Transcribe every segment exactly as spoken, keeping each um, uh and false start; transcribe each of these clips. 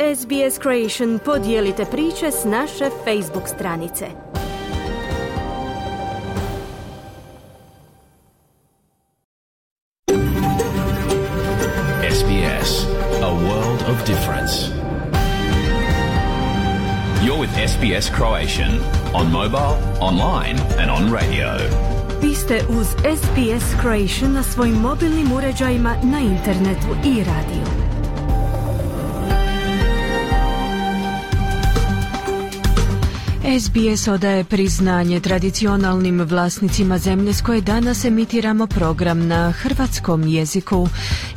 S B S Creation podijelite priče s naše Facebook stranice. S B S, a world of difference. You're with S B S Croatian on mobile, online and on radio. Vi ste uz S B S Croatian na svojim mobilnim uređajima, na internetu i radiju. S B S odaje priznanje tradicionalnim vlasnicima zemlje s koje danas emitiramo program na hrvatskom jeziku.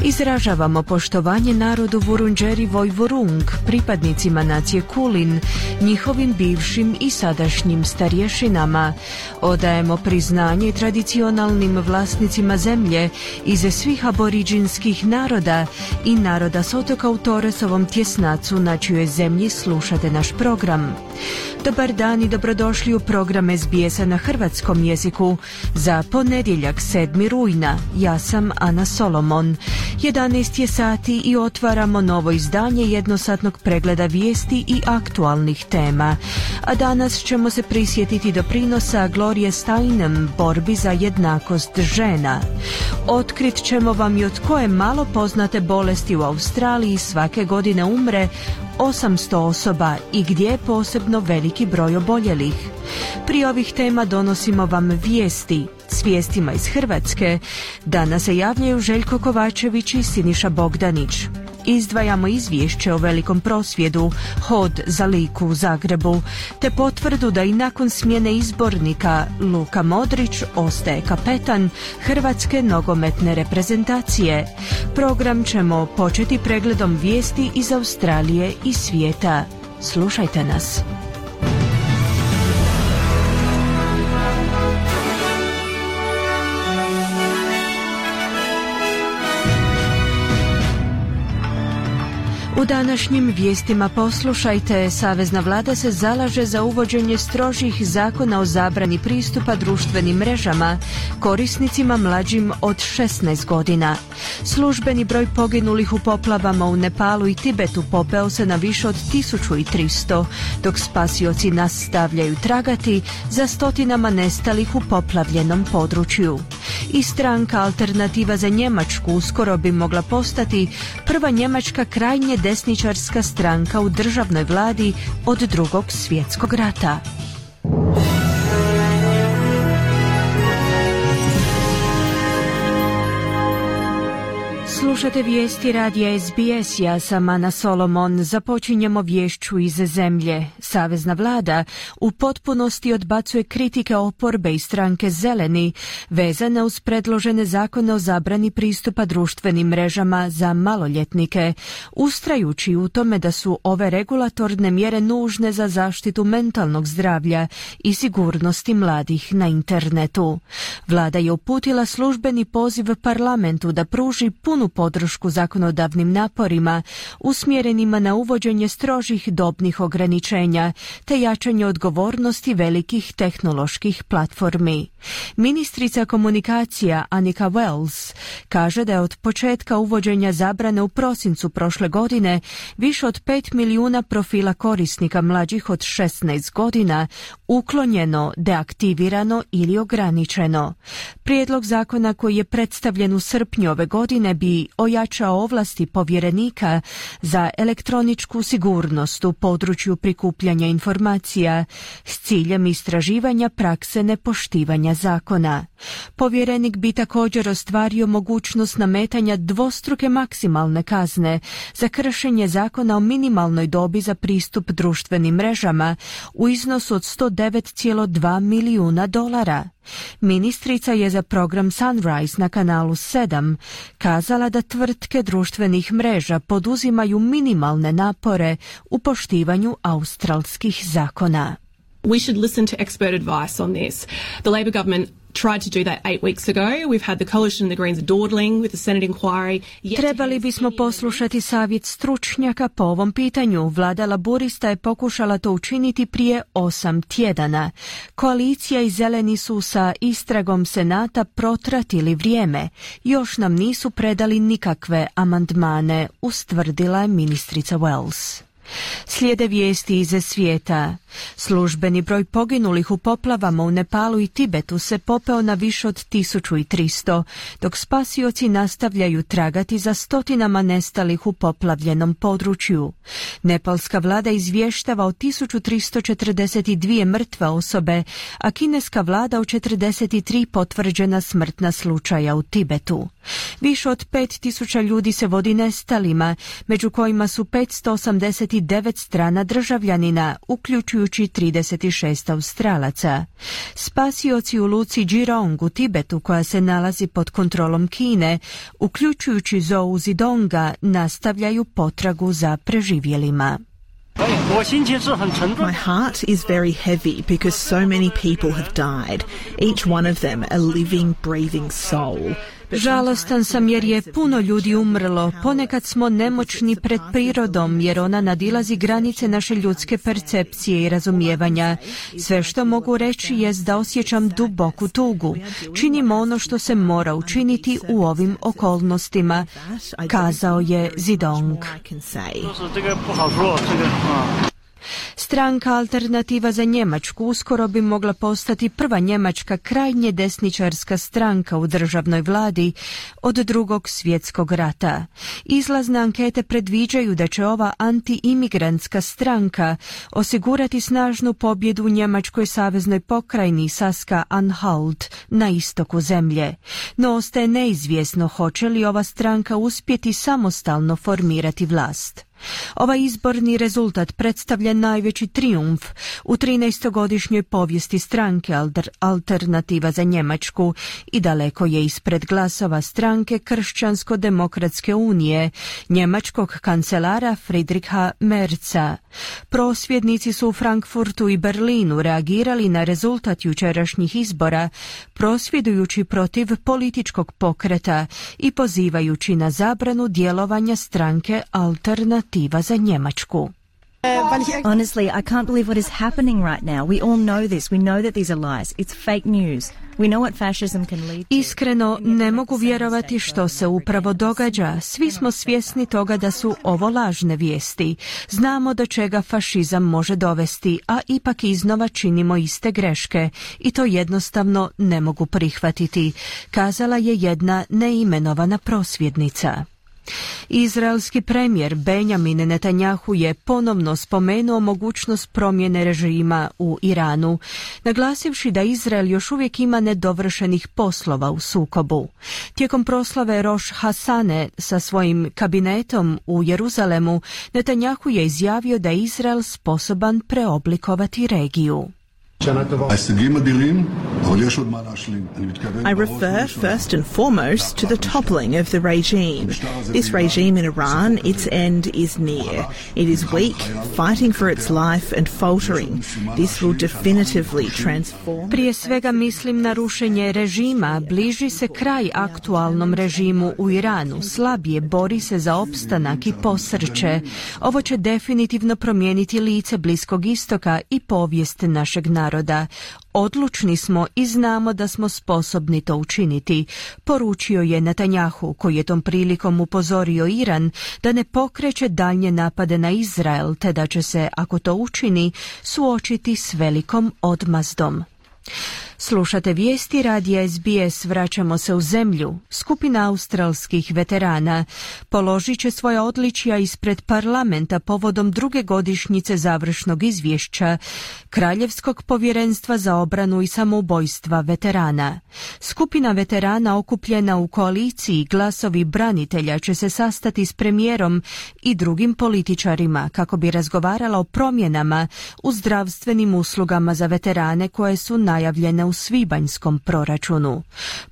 Izražavamo poštovanje narodu Vurundjeri Vojvorung, pripadnicima nacije Kulin, njihovim bivšim i sadašnjim starješinama. Odajemo priznanje tradicionalnim vlasnicima zemlje iz svih aboriđinskih naroda i naroda s otoka u Torresovom tjesnacu, na čijoj zemlji slušate naš program. Dobar dan i dobrodošli u program S B S-a na hrvatskom jeziku za ponedjeljak sedmog rujna. Ja sam Ana Solomon. jedanaest je sati i otvaramo novo izdanje jednosatnog pregleda vijesti i aktualnih tema. A danas ćemo se prisjetiti doprinosa Glorie Steinem borbi za jednakost žena. Otkrit ćemo vam i od koje malo poznate bolesti u Australiji svake godine umre osamsto osoba i gdje je posebno veliki broj oboljelih. Prije ovih tema donosimo vam vijesti s vijestima iz Hrvatske. Danas se javljaju Željko Kovačević i Siniša Bogdanić. Izdvajamo izvješće o velikom prosvjedu Hod za Liku u Zagrebu, te potvrdu da i nakon smjene izbornika Luka Modrić ostaje kapetan hrvatske nogometne reprezentacije. Program ćemo početi pregledom vijesti iz Australije i svijeta. Slušajte nas. U današnjim vijestima poslušajte, savezna vlada se zalaže za uvođenje strožih zakona o zabrani pristupa društvenim mrežama korisnicima mlađim od šesnaest godina. Službeni broj poginulih u poplavama u Nepalu i Tibetu popeo se na više od tisuću tristo, dok spasioci nastavljaju tragati za stotinama nestalih u poplavljenom području. I stranka Alternativa za Njemačku uskoro bi mogla postati prva njemačka krajnje desničarska stranka u državnoj vladi od Drugog svjetskog rata. Slušate vijesti radija S B S, ja sam Ana Solomon. Započinjemo vješću iz zemlje. Savezna vlada u potpunosti odbacuje kritike oporbe i stranke Zeleni vezane uz predložene zakone o zabrani pristupa društvenim mrežama za maloljetnike, ustrajući u tome da su ove regulatorne mjere nužne za zaštitu mentalnog zdravlja i sigurnosti mladih na internetu. Vlada je uputila službeni poziv parlamentu da pruži punu podršku zakonodavnim naporima usmjerenima na uvođenje strožih dobnih ograničenja te jačanje odgovornosti velikih tehnoloških platformi. Ministrica komunikacija Annika Wells kaže da je od početka uvođenja zabrane u prosincu prošle godine više od pet milijuna profila korisnika mlađih od šesnaest godina uklonjeno, deaktivirano ili ograničeno. Prijedlog zakona koji je predstavljen u srpnju ove godine bi ojačao ovlasti povjerenika za elektroničku sigurnost u području prikupljanja informacija s ciljem istraživanja prakse nepoštivanja zakona. Povjerenik bi također ostvario mogućnost nametanja dvostruke maksimalne kazne za kršenje zakona o minimalnoj dobi za pristup društvenim mrežama u iznosu od sto devet zarez dva milijuna dolara. Ministrica je za program Sunrise na kanalu sedam kazala da tvrtke društvenih mreža poduzimaju minimalne napore u poštivanju australskih zakona. We should listen to expert advice on this. The Labor government tried to do that eight weeks ago. We've had the Coalition and the Greens dawdling with the Senate inquiry. Trebali bismo poslušati savjet stručnjaka po ovom pitanju. Vlada laburista je pokušala to učiniti prije osam tjedana. Koalicija i zeleni su sa istragom Senata protratili vrijeme. Još nam nisu predali nikakve amandmane, ustvrdila je ministrica Wells. Slijede vijesti iz svijeta. Službeni broj poginulih u poplavama u Nepalu i Tibetu se popeo na više od tisuću tristo, dok spasioci nastavljaju tragati za stotinama nestalih u poplavljenom području. Nepalska vlada izvještava o tisuću tristo četrdeset dvije mrtve osobe, a kineska vlada o četrdeset tri potvrđena smrtna slučaja u Tibetu. Više od pet tisuća ljudi se vodi nestalima, među kojima su petsto osamdeset devet strana državljanina, uključujući trideset šest Australaca. Spasioci u luci Jirong u Tibetu, koja se nalazi pod kontrolom Kine, uključujući Zhou Zidonga, nastavljaju potragu za preživjelima. My heart is very heavy because so many people have died, each one of them a living, breathing soul. Žalostan sam jer je puno ljudi umrlo. Ponekad smo nemoćni pred prirodom jer ona nadilazi granice naše ljudske percepcije i razumijevanja. Sve što mogu reći jest da osjećam duboku tugu. Činimo ono što se mora učiniti u ovim okolnostima, kazao je Zidong. Stranka Alternativa za Njemačku uskoro bi mogla postati prva njemačka krajnje desničarska stranka u državnoj vladi od drugog svjetskog rata. Izlazne ankete predviđaju da će ova anti-imigrantska stranka osigurati snažnu pobjedu u njemačkoj saveznoj pokrajini Saska-Anhalt na istoku zemlje. No ostaje neizvjesno hoće li ova stranka uspjeti samostalno formirati vlast. Ovaj izborni rezultat predstavlja najveći trijumf u trinaestogodišnjoj povijesti stranke Alternativa za Njemačku i daleko je ispred glasova stranke Kršćansko-demokratske unije, njemačkog kancelara Friedricha Merza. Prosvjednici su u Frankfurtu i Berlinu reagirali na rezultat jučerašnjih izbora, prosvjedujući protiv političkog pokreta i pozivajući na zabranu djelovanja stranke Alternativa za Njemačku. Honestly, I can't believe what is happening right now. We all know this. We know that these are lies. It's fake news. We know what fascism can lead to. Iskreno, ne mogu vjerovati što se upravo događa. Svi smo svjesni toga da su ovo lažne vijesti. Znamo do čega fašizam može dovesti, a ipak iznova činimo iste greške i to jednostavno ne mogu prihvatiti, kazala je jedna neimenovana prosvjednica. Izraelski premijer Benjamin Netanjahu je ponovno spomenuo mogućnost promjene režima u Iranu, naglasivši da Izrael još uvijek ima nedovršenih poslova u sukobu. Tijekom proslave Rosh Hasane sa svojim kabinetom u Jeruzalemu, Netanjahu je izjavio da je Izrael sposoban preoblikovati regiju. I refer first and foremost to the toppling of the regime. This regime in Iran, its end is near. It is weak, fighting for its life and faltering. This will definitively transform. Prije svega mislim na rušenje režima. Bliži se kraj aktualnom režimu u Iranu. Slabije bori se za opstanak i posrće. Ovo će definitivno promijeniti lice Bliskog istoka i povijest našeg naroda. Odlučni smo i znamo da smo sposobni to učiniti, poručio je Netanjahu, koji je tom prilikom upozorio Iran da ne pokreće daljnje napade na Izrael, te da će se, ako to učini, suočiti s velikom odmazdom. Slušate vijesti radija S B S, vraćamo se u zemlju. Skupina australskih veterana položit će svoja odličja ispred parlamenta povodom druge godišnjice završnog izvješća Kraljevskog povjerenstva za obranu i samoubojstva veterana. Skupina veterana okupljena u koaliciji Glasovi branitelja će se sastati s premijerom i drugim političarima kako bi razgovarala o promjenama u zdravstvenim uslugama za veterane koje su najavljene u svibanjskom proračunu.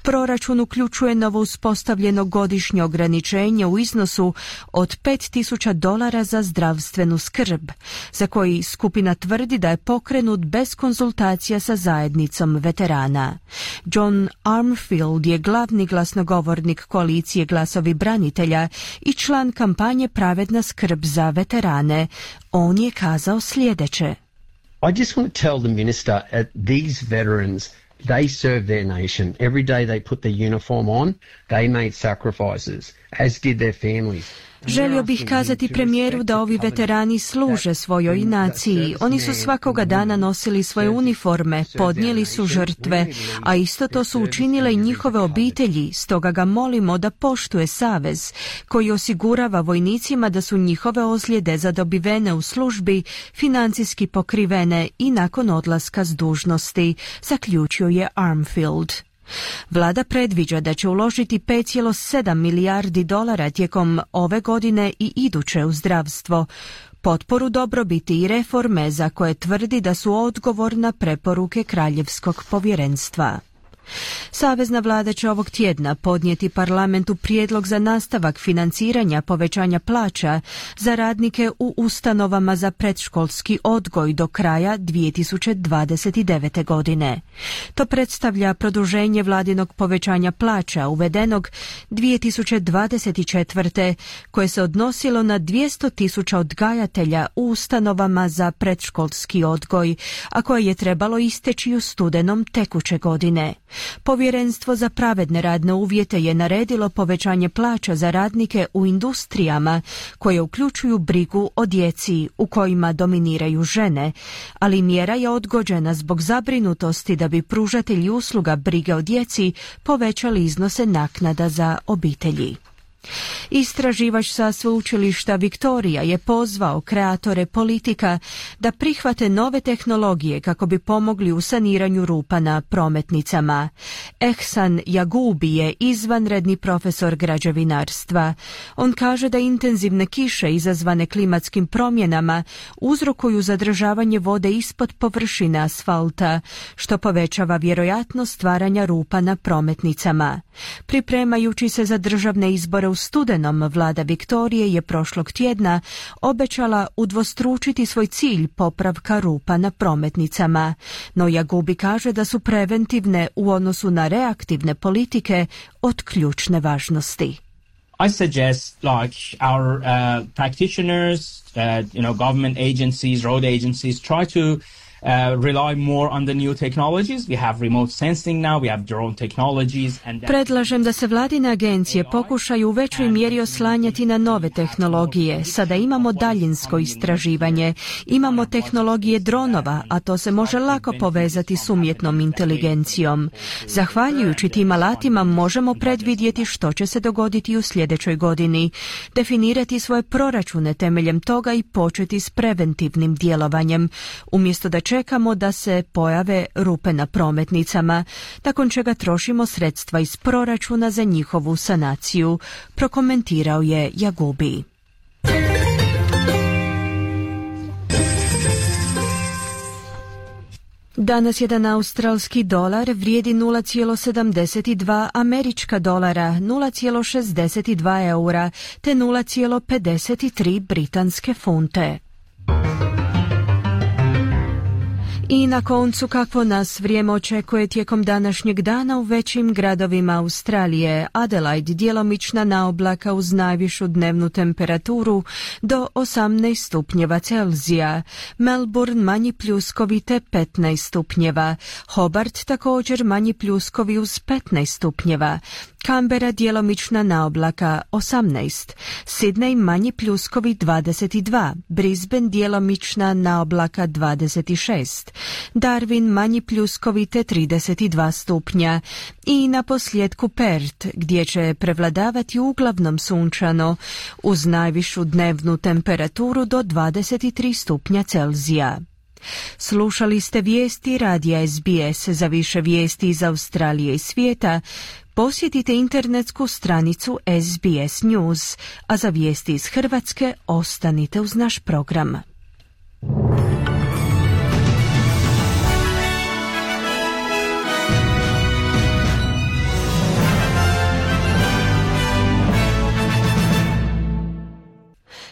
Proračun uključuje novo uspostavljeno godišnje ograničenje u iznosu od pet tisuća dolara za zdravstvenu skrb, za koji skupina tvrdi da je pokrenut bez konzultacija sa zajednicom veterana. John Armfield je glavni glasnogovornik koalicije Glasovi branitelja i član kampanje Pravedna skrb za veterane. On je kazao sljedeće. I just want to tell the minister that these veterans, they serve their nation. Every day they put the uniform on, they made sacrifices, as did their families. Želio bih kazati premijeru da ovi veterani služe svojoj naciji. Oni su svakoga dana nosili svoje uniforme, podnijeli su žrtve, a isto to su učinile i njihove obitelji, stoga ga molimo da poštuje savez, koji osigurava vojnicima da su njihove ozljede zadobivene u službi financijski pokrivene i nakon odlaska s dužnosti, zaključio je Armfield. Vlada predviđa da će uložiti pet zarez sedam milijardi dolara tijekom ove godine i iduće u zdravstvo, potporu dobrobiti i reforme za koje tvrdi da su odgovor na preporuke Kraljevskog povjerenstva. Savezna vlada će ovog tjedna podnijeti parlamentu prijedlog za nastavak financiranja povećanja plaća za radnike u ustanovama za predškolski odgoj do kraja dvije tisuće dvadeset devete. godine. To predstavlja produženje vladinog povećanja plaća uvedenog dvije tisuće dvadeset četvrte. koje se odnosilo na dvjesto tisuća odgajatelja u ustanovama za predškolski odgoj, a koje je trebalo isteći u studenom tekuće godine. Povjerenstvo za pravedne radne uvjete je naredilo povećanje plaća za radnike u industrijama koje uključuju brigu o djeci u kojima dominiraju žene, ali mjera je odgođena zbog zabrinutosti da bi pružatelji usluga brige o djeci povećali iznose naknada za obitelji. Istraživač sa sveučilišta Victoria je pozvao kreatore politika da prihvate nove tehnologije kako bi pomogli u saniranju rupa na prometnicama. Ehsan Jagubi je izvanredni profesor građevinarstva. On kaže da intenzivne kiše izazvane klimatskim promjenama uzrokuju zadržavanje vode ispod površine asfalta, što povećava vjerojatnost stvaranja rupa na prometnicama. Pripremajući se za državne izbore u studenom, vlada Viktorije je prošlog tjedna obećala udvostručiti svoj cilj popravka rupa na prometnicama, no Jagubi kaže da su preventivne u odnosu na reaktivne politike od ključne važnosti. I suggest like our uh, practitioners, uh, you know, government agencies, road agencies try to Uh, rely more on the new technologies. We have remote sensing now, we have drone technologies. And Predlažem da se vladine agencije pokušaju u većoj mjeri oslanjati na nove tehnologije. Sada imamo daljinsko istraživanje, imamo tehnologije dronova, a to se može lako povezati s umjetnom inteligencijom. Zahvaljujući tim alatima možemo predvidjeti što će se dogoditi u sljedećoj godini, definirati svoje proračune temeljem toga i početi s preventivnim djelovanjem, umjesto da čekamo da se pojave rupe na prometnicama, nakon čega trošimo sredstva iz proračuna za njihovu sanaciju, prokomentirao je Jagubi. Danas jedan australski dolar vrijedi nula zarez sedamdeset dva američka dolara, nula zarez šezdeset dva eura te nula zarez pedeset tri britanske funte. I na koncu kakvo nas vrijeme očekuje tijekom današnjeg dana u većim gradovima Australije. Adelaide djelomična naoblaka uz najvišu dnevnu temperaturu do osamnaest stupnjeva Celzija. Melbourne manji pljuskovi te petnaest stupnjeva. Hobart također manji pljuskovi uz petnaest stupnjeva. Canberra djelomična naoblaka osamnaest, Sydney manji pljuskovi dvadeset dva, Brisbane djelomična naoblaka dvadeset šest, Darwin manji pljuskovi te trideset dva stupnja i na posljedku Perth gdje će prevladavati uglavnom sunčano uz najvišu dnevnu temperaturu do dvadeset tri stupnja Celzija. Slušali ste vijesti radija S B S. Za više vijesti iz Australije i svijeta posjetite internetsku stranicu S B S News, a za vijesti iz Hrvatske ostanite uz naš program.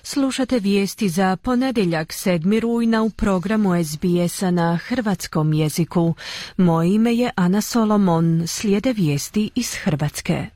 Slušate vijesti za ponedjeljak sedmog rujna u programu S B S-a na hrvatskom jeziku. Moje ime je Ana Solomon. Slijede vijesti iz Hrvatske.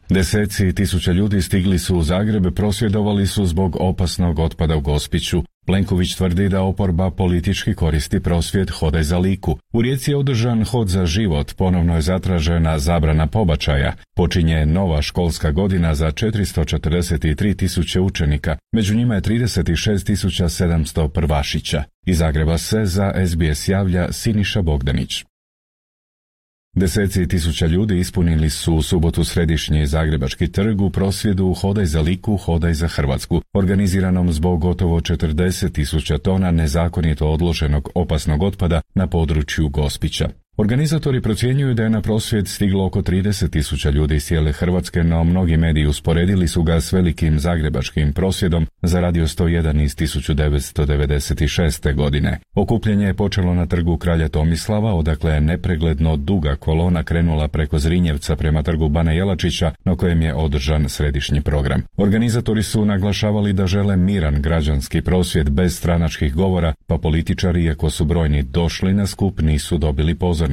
Deseci tisuća ljudi stigli su u Zagreb, prosvjedovali su zbog opasnog otpada u Gospiću. Plenković tvrdi da oporba politički koristi prosvjed Hodaj za Liku. U Rijeci je održan Hod za život, ponovno je zatražena zabrana pobačaja. Počinje nova školska godina za četiristo četrdeset tri tisuće učenika, među njima je trideset šest tisuća sedamsto prvašića. Iz Zagreba se za S B S javlja Siniša Bogdanić. Deseci tisuća ljudi ispunili su u subotu središnji Zagrebački trg u prosvjedu Hodaj za Liku, Hodaj za Hrvatsku, organiziranom zbog gotovo četrdeset tisuća tona nezakonito odloženog opasnog otpada na području Gospića. Organizatori procjenjuju da je na prosvjed stiglo oko trideset tisuća ljudi iz cijele Hrvatske, no mnogi mediji usporedili su ga s velikim zagrebačkim prosvjedom za Radio sto jedan iz tisuću devetsto devedeset šeste. godine. Okupljanje je počelo na trgu Kralja Tomislava, odakle je nepregledno duga kolona krenula preko Zrinjevca prema trgu Bana Jelačića, na kojem je održan središnji program. Organizatori su naglašavali da žele miran građanski prosvjed bez stranačkih govora, pa političari, iako su brojni došli na skup, nisu dobili pozornicu.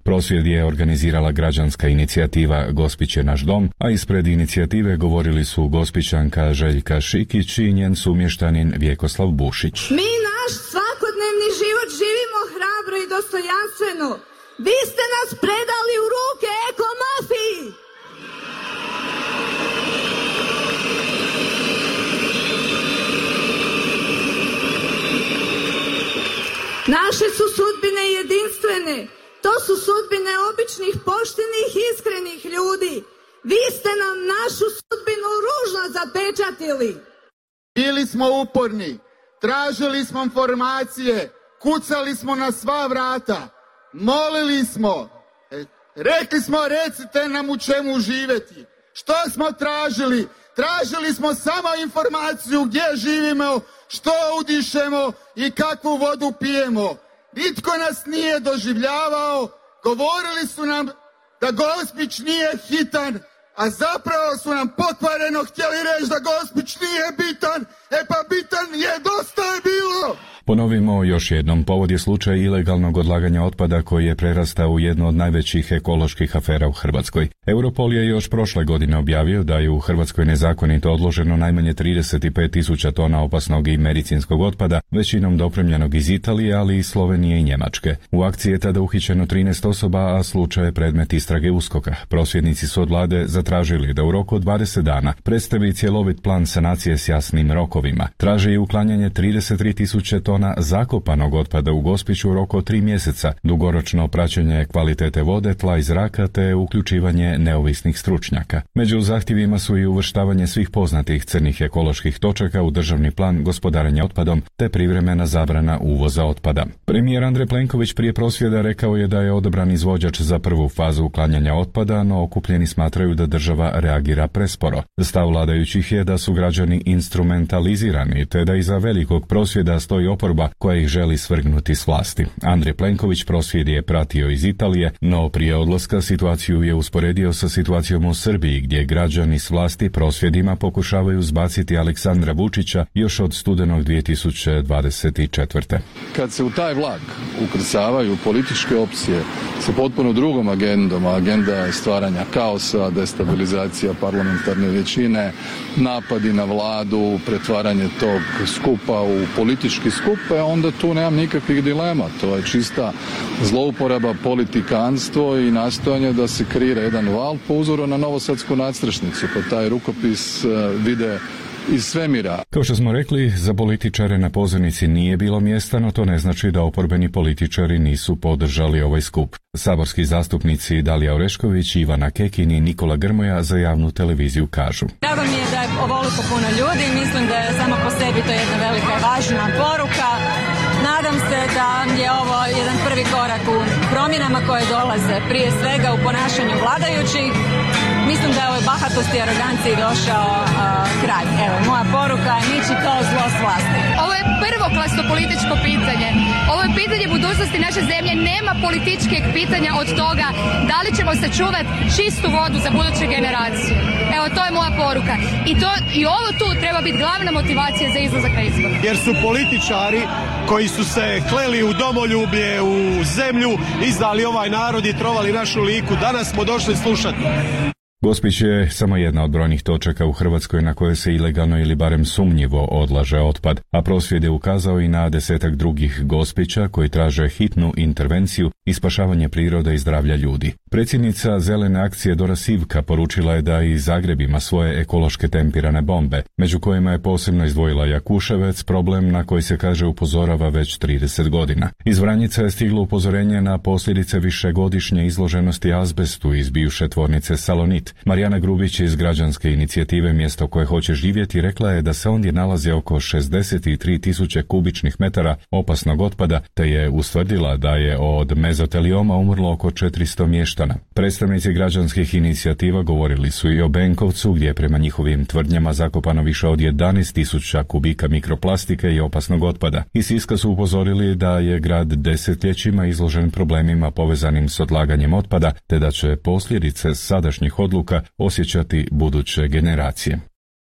Prosvjed je organizirala građanska inicijativa Gospić je naš dom, a ispred inicijative govorili su Gospićanka Željka Šikić i njen sumještanin Vjekoslav Bušić. Mi naš svakodnevni život živimo hrabro i dostojanstveno. Vi ste nas predali u ruke ekomafiji. Naše su sudbine jedinstvene. To su sudbine običnih, poštenih, iskrenih ljudi. Vi ste nam našu sudbinu ružno zapečatili. Bili smo uporni, tražili smo informacije, kucali smo na sva vrata, molili smo, rekli smo recite nam u čemu živjeti. Što smo tražili? Tražili smo samo informaciju gdje živimo, što udišemo i kakvu vodu pijemo. Nitko nas nije doživljavao, govorili su nam da Gospić nije hitan, a zapravo su nam pokvareno htjeli reći da Gospić nije bitan, e pa bitan je, dosta je bilo! Ponovimo još jednom, povod je slučaj ilegalnog odlaganja otpada koji je prerastao u jednu od najvećih ekoloških afera u Hrvatskoj. Europol je još prošle godine objavio da je u Hrvatskoj nezakonito odloženo najmanje trideset pet tisuća tona opasnog i medicinskog otpada, većinom dopremljenog iz Italije, ali i Slovenije i Njemačke. U akciji je tada uhićeno trinaest osoba, a slučaj je predmet istrage USKOK-a. Prosvjednici su od vlade zatražili da u roku od dvadeset dana predstavi cjelovit plan sanacije s jasnim rokovima. Traže i uklanjanje trideset tri tisuće tona zakopanog otpada u Gospiću u roku od tri mjeseca, dugoročno praćenje kvalitete vode, tla i zraka te uključivanje neovisnih stručnjaka. Među zahtjevima su i uvrštavanje svih poznatih crnih ekoloških točaka u državni plan gospodarenja otpadom te privremena zabrana uvoza otpada. Premijer Andrej Plenković prije prosvjeda rekao je da je odabran izvođač za prvu fazu uklanjanja otpada, no okupljeni smatraju da država reagira presporo. Stav vladajućih je da su građani instrumentalizirani te da iza velikog prosvjeda stoji oporba koja ih želi svrgnuti s vlasti. Andrej Plenković prosvjed je pratio iz Italije, no prije odlaska situaciju je usporedio sa situacijom u Srbiji, gdje građani s vlasti prosvjedima pokušavaju zbaciti Aleksandra Vučića još od studenog dvije tisuće dvadeset četvrte. Kad se u taj vlak ukrcavaju političke opcije sa potpuno drugom agendom, a agenda je stvaranja kaosa, destabilizacija parlamentarne većine, napadi na vladu, pretvaranje tog skupa u politički skup, onda tu nemam nikakvih dilema. To je čista zlouporaba, politikanstvo i nastojanje da se kreira jedan val po uzoru na novosadsku nadstrešnicu, pa taj rukopis vide iz svemira. Kao što smo rekli, za političare na pozornici nije bilo mjesta, no to ne znači da oporbeni političari nisu podržali ovaj skup. Saborski zastupnici Dalija Orešković, Ivana Kekin i Nikola Grmoja za javnu televiziju kažu: Drago mi je da je ovoliko puno ljudi, mislim da je samo po sebi to jedna velika i važna poruka. Nadam se da je ovo jedan prvi korak u promjenama koje dolaze, prije svega u ponašanju vladajućih. Mislim da je ovoj bahatosti i aroganciji došao uh, kraj. Evo, moja poruka je niči kao zlo s vlasti. Ovo je prvoklasno političko pitanje. Ovo je pitanje budućnosti naše zemlje. Nema političkih pitanja od toga da li ćemo sačuvati čistu vodu za buduće generacije. Evo, to je moja poruka. I, to, i ovo tu treba biti glavna motivacija za izlazak na izbor. Jer su političari koji su se kleli u domoljublje, u zemlju, izdali ovaj narod i trovali našu Liku. Danas smo došli slušati. Gospić je samo jedna od brojnih točaka u Hrvatskoj na koje se ilegalno ili barem sumnjivo odlaže otpad, a prosvjed je ukazao i na desetak drugih Gospića koji traže hitnu intervenciju i spašavanje prirode i zdravlja ljudi. Predsjednica Zelene akcije Dora Sivka poručila je da i Zagreb ima svoje ekološke tempirane bombe, među kojima je posebno izdvojila Jakuševec, problem na koji se kaže upozorava već trideset godina. Iz Vranjica je stiglo upozorenje na posljedice višegodišnje izloženosti azbestu iz bivše tvornice Salonit. Marijana Grubić iz građanske inicijative Mjesto koje hoće živjeti rekla je da se ondje nalazi oko šezdeset tri tisuće kubičnih metara opasnog otpada, te je ustvrdila da je od mezotelioma umrlo oko četiristo mještana. Predstavnici građanskih inicijativa govorili su i o Benkovcu, gdje je prema njihovim tvrdnjama zakopano više od jedanaest tisuća kubika mikroplastike i opasnog otpada. Iz Siska su upozorili da je grad desetljećima izložen problemima povezanim s odlaganjem otpada, te da će posljedice sadašnjih odluka osjećati buduće generacije.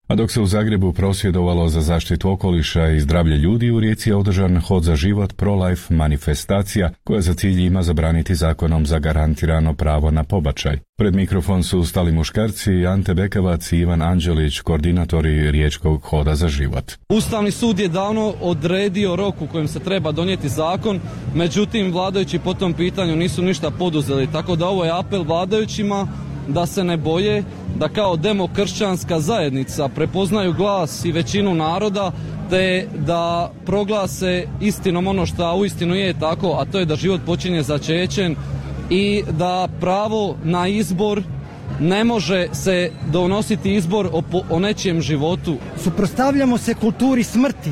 A dok se u Zagrebu prosvjedovalo za zaštitu okoliša i zdravlje ljudi, u Rijeci je održan Hod za život pro-life manifestacija koja za cilj ima zabraniti zakonom zagarantirano pravo na pobačaj. Pred mikrofon su stali muškarci Ante Bekavac i Ivan Anđelić, koordinatori Riječkog Hoda za život. Ustavni sud je davno odredio rok u kojem se treba donijeti zakon, međutim vladajući po tom pitanju nisu ništa poduzeli, tako da ovo je apel vladajućima da se ne boje, da kao demokršćanska zajednica prepoznaju glas i većinu naroda, te da proglase istinom ono što uistinu je tako, a to je da život počinje začećem i da pravo na izbor ne može se donositi izbor o, o nečijem životu. Suprotstavljamo se kulturi smrti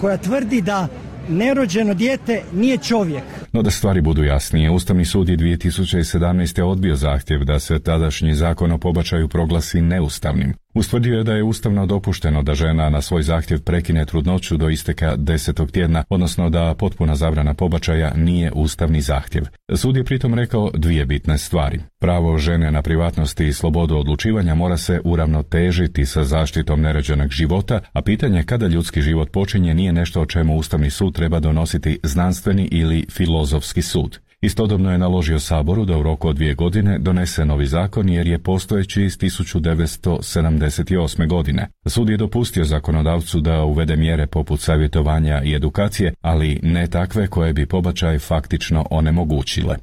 koja tvrdi da nerođeno dijete nije čovjek. No da stvari budu jasnije, Ustavni sud je dvije tisuće sedamnaeste. odbio zahtjev da se tadašnji zakon o pobačaju proglasi neustavnim. Ustvrdio je da je ustavno dopušteno da žena na svoj zahtjev prekine trudnoću do isteka desetog tjedna, odnosno da potpuna zabrana pobačaja nije ustavni zahtjev. Sud je pritom rekao dvije bitne stvari. Pravo žene na privatnost i slobodu odlučivanja mora se uravnotežiti sa zaštitom nerođenog života, a pitanje kada ljudski život počinje nije nešto o čemu Ustavni sud treba donositi znanstveni ili filozofski sud. Istodobno je naložio Saboru da u roku od dvije godine donese novi zakon jer je postojeći iz tisuću devetsto sedamdeset osme. godine. Sud je dopustio zakonodavcu da uvede mjere poput savjetovanja i edukacije, ali ne takve koje bi pobačaj faktično onemogućile.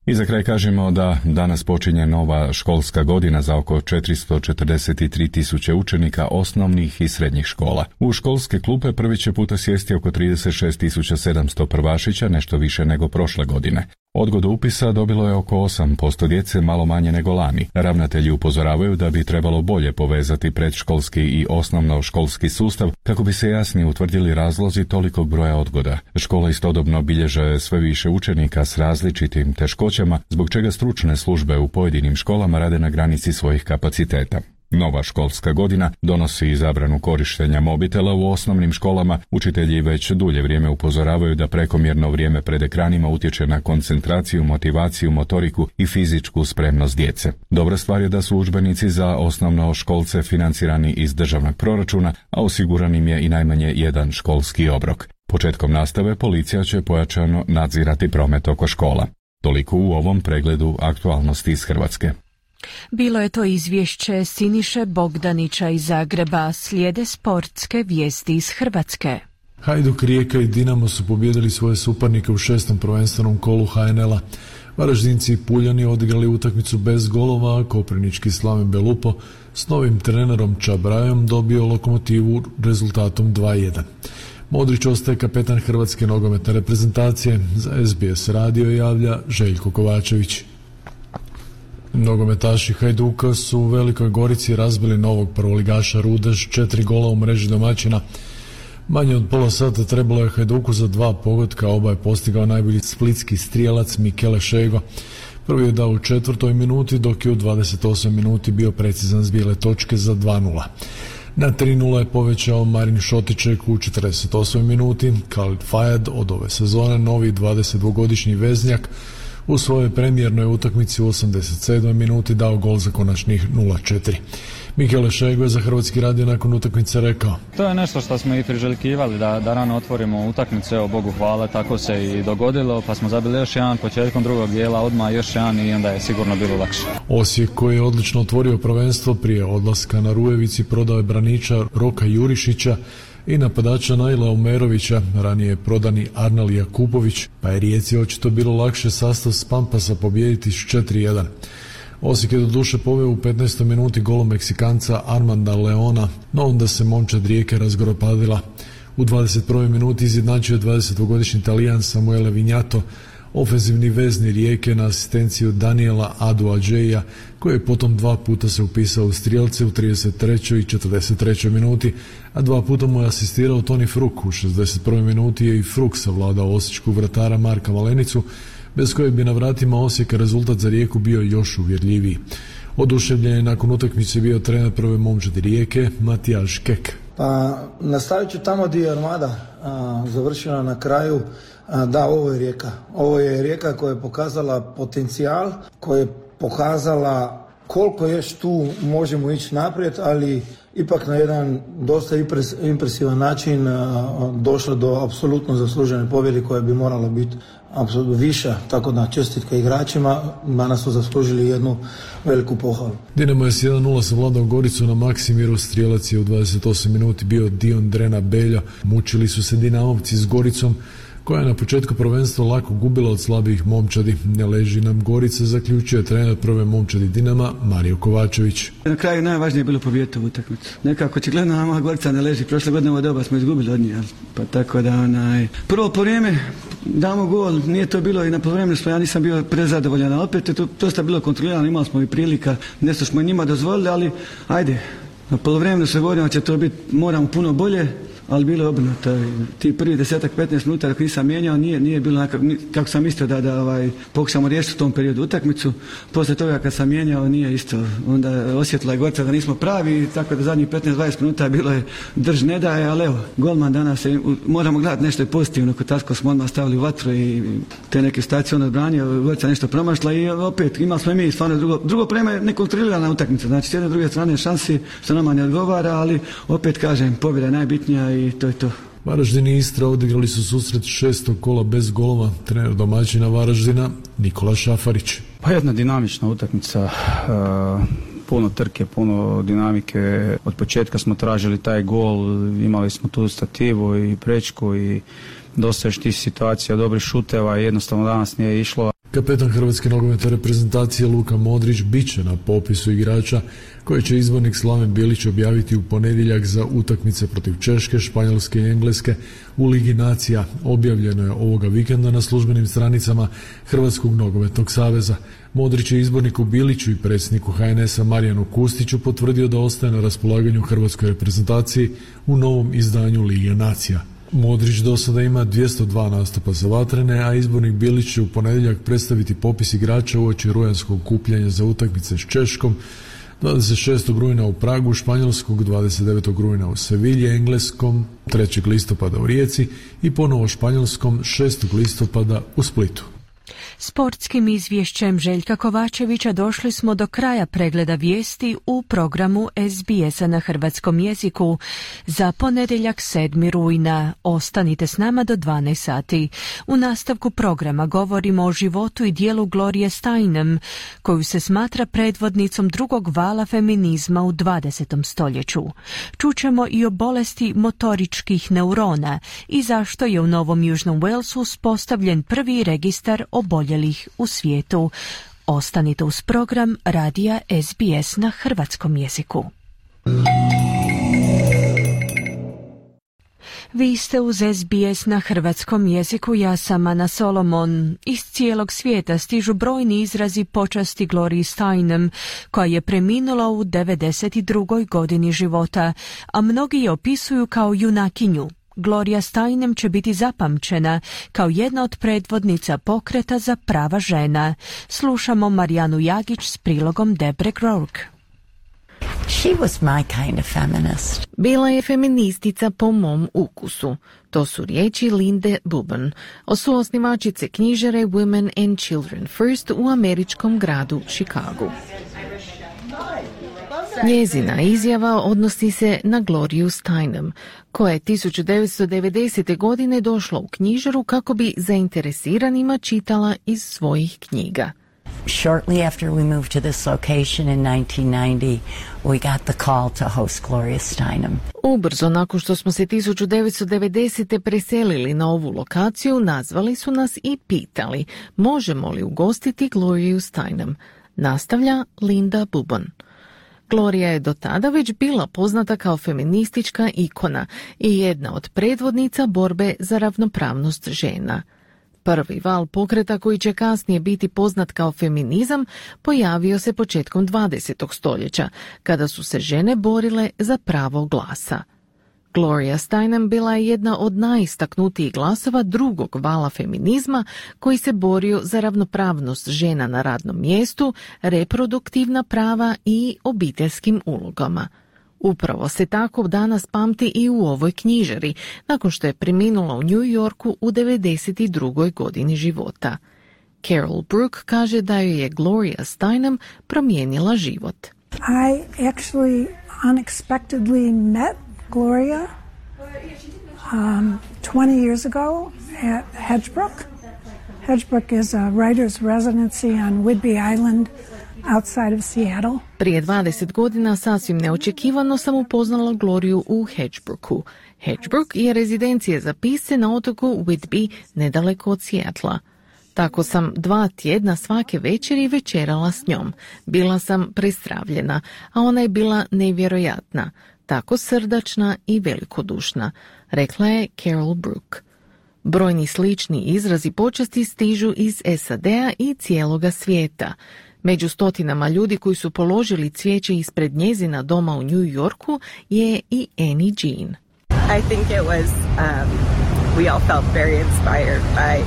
I za kraj kažemo da danas počinje nova školska godina za oko četiristo četrdeset tri tisuće učenika osnovnih i srednjih škola. U školske klupe prvi će puta sjesti oko trideset šest tisuća sedamsto prvašića, nešto više nego prošle godine. Odgodu upisa dobilo je oko osam posto djece, malo manje nego lani. Ravnatelji upozoravaju da bi trebalo bolje povezati predškolski i osnovnoškolski sustav kako bi se jasnije utvrdili razlozi tolikog broja odgoda. Škola istodobno bilježe sve više učenika s različitim teškoćama, zbog čega stručne službe u pojedinim školama rade na granici svojih kapaciteta. Nova školska godina donosi i zabranu korištenja mobitela u osnovnim školama. Učitelji već dulje vrijeme upozoravaju da prekomjerno vrijeme pred ekranima utječe na koncentraciju, motivaciju, motoriku i fizičku spremnost djece. Dobra stvar je da su udžbenici za osnovnoškolce financirani iz državnog proračuna, a osiguran im je i najmanje jedan školski obrok. Početkom nastave policija će pojačano nadzirati promet oko škola. Toliko u ovom pregledu aktualnosti iz Hrvatske. Bilo je to izvješće Siniše Bogdanića iz Zagreba, slijede sportske vijesti iz Hrvatske. Hajduk, Rijeka i Dinamo su pobijedili svoje suparnike u šestom prvenstvenom kolu ha en el a. Varaždinci i Puljani odigrali utakmicu bez golova, a koprivnički Slaven Belupo s novim trenerom Čabrajom dobio Lokomotivu rezultatom dva jedan. Modrić ostaje kapetan hrvatske nogometne reprezentacije, za es be es radio javlja Željko Kovačević. Nogometaši Hajduka su u Velikoj Gorici razbili novog prvoligaša Rudeš, četiri gola u mreži domaćina. Manje od pola sata trebalo je Hajduku za dva pogotka, oba je postigao najbolji splitski strijelac Mikele Šego. Prvi je dao u četvrtoj minuti, dok je u dvadeset osmoj minuti bio precizan s bijele točke za dva nula. Na tri nula je povećao Marin Šotiček u četrdeset osmoj minuti. Khalid Fayad od ove sezone, novi dvadesetdvogodišnji veznjak, U svojoj premijernoj utakmici u osamdeset sedmoj minuti dao gol za konačnih nula četiri. Michele Šego je za Hrvatski radio nakon utakmice rekao: To je nešto što smo i priželjkivali, da, da rano otvorimo utakmicu, evo Bogu hvala, tako se i dogodilo, pa smo zabili još jedan početkom drugog dijela, odmah još jedan i onda je sigurno bilo lakše. Osijek, koji je odlično otvorio prvenstvo prije odlaska na Rujevici, prodao je braniča Roka Jurišića i napadača Naila Umerovića, ranije prodani Arnal Jakupović, pa je Rijeci očito bilo lakše sastav s Pampasa pobijediti s četiri jedan. Osijek je do duše poveo u petnaestoj minuti golom Meksikanca Armanda Leona, no onda se momčad Rijeke razgoropadila. U dvadeset prvoj minuti izjednačio dvadesetogodišnji Talijan Samuele Vignato, ofenzivni vezni Rijeke na asistenciju Daniela Adu-Adžeja, koji je potom dva puta se upisao u strijelce u trideset trećoj i četrdeset trećoj minuti, a dva puta mu je asistirao Toni Fruk. U šezdeset prvoj minuti je i Fruk savladao osječkog vratara Marka Malenicu, bez kojeg bi na vratima Osijeka rezultat za Rijeku bio još uvjerljiviji. Oduševljen je nakon utakmice bio trener prve momčadi Rijeke, Matijaš Kek. Pa nastavit ću tamo gdje je Armada a, završila na kraju. A, da, ovo je Rijeka. Ovo je Rijeka koja je pokazala potencijal, koja je pokazala koliko još tu možemo ići naprijed, ali ipak na jedan dosta impresivan način a, došla do apsolutno zaslužene pobjede koja bi morala biti apsolutno viša, tako da čestitka igračima, danas su zaslužili jednu veliku pohvalu. Dinamo je s jedan nula savladao Goricu na Maksimiru, strijelac je u dvadeset osmoj minuti bio Dion Drena Belja. Mučili su se Dinamovci s Goricom, koja je na početku prvenstva lako gubila od slabijih momčadi. Ne leži nam Gorica, zaključio je trener prve momčadi Dinama Mario Kovačević. Na kraju najvažnije je bilo pobijediti u utakmicu. Nekako očigledno nama Gorica ne leži. Prošle godine ovo doba smo izgubili od njih, pa tako da onaj prvo po vrijeme damo gol, nije to bilo i na poluvremenu smo, ja nisam bio prezadovoljan, ali opet je to dosta bilo kontrolirano, imali smo i prilika, nešto smo njima dozvolili, ali ajde, na poluvremenu se govorimo će to biti, moramo puno bolje, ali bilo je obrnuto. Ti prvi desetak, petnaest minuta dok nisam mijenjao, nije, nije bilo nekak, kako sam mislio da, da ovaj, pokušamo riješiti u tom periodu utakmicu. Poslije toga kad sam mijenjao nije isto. Onda osjetila je Gorica da nismo pravi, tako da zadnjih petnaest dvadeset minuta bilo je drž ne daje, ali evo, golman danas je, moramo gledati nešto je pozitivno, kod tako smo odmah stavili u vatru i te neke stacije on odbranio, Gorica nešto promašla i opet imali smo i mi stvarno drugo, drugo prema nekontrolirana utakmica, znači s jedne druge strane šansi što nama ne odgovara, ali opet kažem, pobjeda je najbitnija i to je to. Varaždin i Istra odigrali su susret šestog kola bez golova. Trener domaćina Varaždina Nikola Šafarić. Pa jedna dinamična utakmica, uh, puno trke, puno dinamike. Od početka smo tražili taj gol, imali smo tu stativu i prečku i dosta još tih situacija, dobrih šuteva i jednostavno danas nije išlo. Kapetan Hrvatske nogometne reprezentacije Luka Modrić biće na popisu igrača koji će izbornik Slaven Bilić objaviti u ponedjeljak za utakmice protiv Češke, Španjolske i Engleske u Ligi nacija. Objavljeno je ovoga vikenda na službenim stranicama Hrvatskog nogometnog saveza. Modrić je izborniku Biliću i predsjedniku H N S-a Marijanu Kustiću potvrdio da ostaje na raspolaganju Hrvatskoj reprezentaciji u novom izdanju Lige nacija. Modrić do sada ima dvjesto dva nastupa za vatrene, a izbornik Bilić će u ponedjeljak predstaviti popis igrača uoči rujanskog okupljanja za utakmice s Češkom, dvadeset šestog rujna u Pragu, Španjolskog dvadeset devetog rujna u Sevilji, Engleskom trećeg listopada u Rijeci i ponovo Španjolskom šestog listopada u Splitu. Sportskim izvješćem Željka Kovačevića došli smo do kraja pregleda vijesti u programu S B S-a na hrvatskom jeziku za ponedjeljak sedmog rujna. Ostanite s nama do dvanaest sati. U nastavku programa govorimo o životu i dijelu Glorie Steinem, koju se smatra predvodnicom drugog vala feminizma u dvadesetom stoljeću. Čućemo i o bolesti motoričkih neurona i zašto je u Novom Južnom Walesu uspostavljen prvi registar oboljelih u svijetu. Ostanite uz program radija S B S na hrvatskom jeziku. Vi ste uz S B S na hrvatskom jeziku, ja sam Ana Solomon. Iz cijelog svijeta stižu brojni izrazi počasti Glorii Steinem, koja je preminula u devedeset drugoj godini života, a mnogi je opisuju kao junakinju. Gloria Steinem će biti zapamćena kao jedna od predvodnica pokreta za prava žena. Slušamo Marijanu Jagić s prilogom Debre Grourk. She was my kind of feminist. Bila je feministica po mom ukusu. To su riječi Linde Buban, suosnivačice knjižare Women and Children First u američkom gradu Chicagu. Njezina izjava odnosi se na Gloriju Steinem, koja je tisuću devetsto devedesete. godine došla u knjižaru kako bi zainteresiranima čitala iz svojih knjiga. Shortly after we moved to this location in nineteen ninety, we got the call to host Gloria Steinem. Ubrzo nakon što smo se tisuću devetsto devedesete. preselili na ovu lokaciju, nazvali su nas i pitali možemo li ugostiti Gloriju Steinem. Nastavlja Linda Buban. Gloria je do tada već bila poznata kao feministička ikona i jedna od predvodnica borbe za ravnopravnost žena. Prvi val pokreta koji će kasnije biti poznat kao feminizam pojavio se početkom dvadesetog stoljeća, kada su se žene borile za pravo glasa. Gloria Steinem bila je jedna od najistaknutijih glasova drugog vala feminizma koji se borio za ravnopravnost žena na radnom mjestu, reproduktivna prava i obiteljskim ulogama. Upravo se tako danas pamti i u ovoj knjižari, nakon što je preminula u New Yorku u devedeset drugoj. godini života. Carol Brooke kaže da joj je Gloria Steinem promijenila život. I actually unexpectedly met Gloria um, twenty years ago at Hedgebrook. Hedgebrook is a writer's residency on Whidbey Island outside of Seattle. Prije dvadeset godina sasvim neočekivano sam upoznala Gloriju u Hedgebrooku. Hedgebrook je rezidencija za pisce na otoku Whidbey, nedaleko od Seattla. Tako sam dva tjedna svake večeri večerala s njom. Bila sam prestravljena, a ona je bila nevjerojatna, tako srdačna i velikodušna, rekla je Carol Brooke. Brojni slični izrazi počasti stižu iz S A D-a i cijeloga svijeta. Među stotinama ljudi koji su položili cvijeće ispred njezina doma u New Yorku je i Annie Jean. I think it was, um, we all felt very inspired by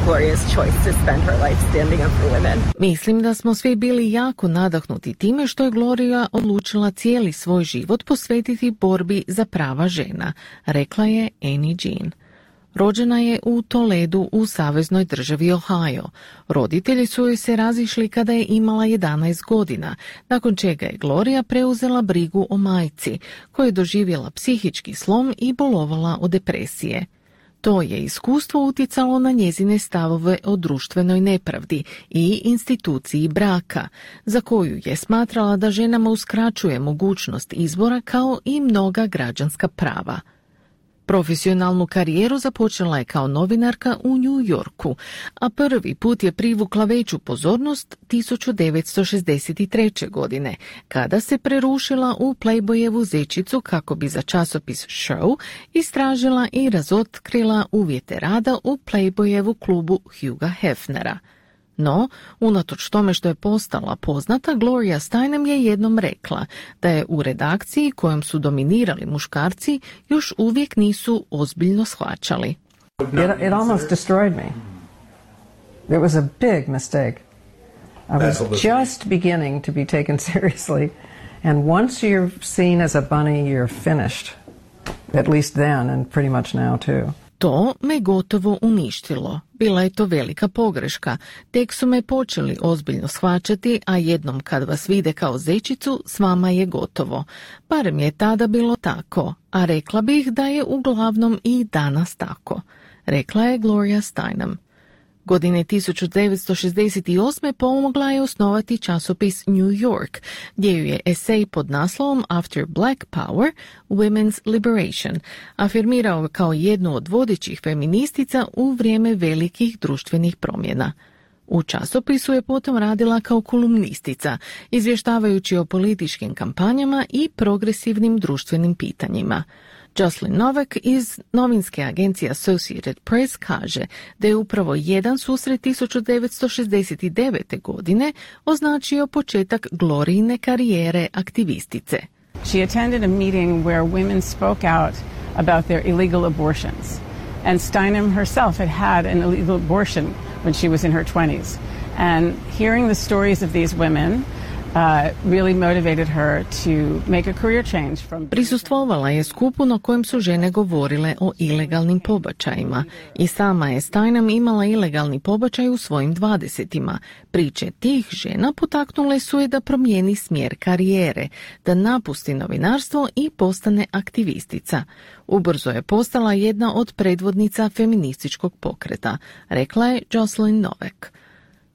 Gloria's choice to spend her life standing up for women. Mislim da smo svi bili jako nadahnuti time što je Gloria odlučila cijeli svoj život posvetiti borbi za prava žena, rekla je Annie Jean. Rođena je u Toledu u saveznoj državi Ohio. Roditelji su joj se razišli kada je imala jedanaest godina, nakon čega je Gloria preuzela brigu o majci, koja je doživjela psihički slom i bolovala od depresije. To je iskustvo utjecalo na njezine stavove o društvenoj nepravdi i instituciji braka, za koju je smatrala da ženama uskraćuje mogućnost izbora kao i mnoga građanska prava. Profesionalnu karijeru započela je kao novinarka u New Yorku, a prvi put je privukla veću pozornost tisuću devetsto šezdeset treće. godine, kada se prerušila u Playboyevu zečicu kako bi za časopis Show istražila i razotkrila uvjete rada u Playboyevu klubu Hugha Hefnera. No, unatoč tome što je postala poznata, Gloria Steinem je jednom rekla da je u redakciji kojom su dominirali muškarci još uvijek nisu ozbiljno shvaćali. It, it almost destroyed me. It was a big mistake. I was just beginning to be taken seriously, and once you're seen as a bunny, you're finished. At least then, and pretty much now too. To me gotovo uništilo. Bila je to velika pogreška. Tek su me počeli ozbiljno shvaćati, a jednom kad vas vide kao zečicu, s vama je gotovo. Barem je tada bilo tako, a rekla bih da je uglavnom i danas tako, rekla je Gloria Steinem. Godine tisuću devetsto šezdeset osme. pomogla je osnovati časopis New York, gdje ju je esej pod naslovom After Black Power, Women's Liberation afirmirao kao jednu od vodećih feministica u vrijeme velikih društvenih promjena. U časopisu je potom radila kao kolumnistica, izvještavajući o političkim kampanjama i progresivnim društvenim pitanjima. Jocelyn Novak iz novinske agencije Associated Press kaže da je upravo jedan susret tisuću devetsto šezdeset devete. godine označio početak Glorijine karijere aktivistice. She attended a meeting where women spoke out about their illegal abortions. And Steinem herself had had an illegal abortion when she was in her twenties. And hearing the stories of these women Uh, really motivated her to make a career change from... Prisustvovala je skupu na kojem su žene govorile o ilegalnim pobačajima i sama je Steinem imala ilegalni pobačaj u svojim dvadesetima. Priče tih žena potaknule su je da promijeni smjer karijere, da napusti novinarstvo i postane aktivistica. Ubrzo je postala jedna od predvodnica feminističkog pokreta, rekla je Jocelyn Novak.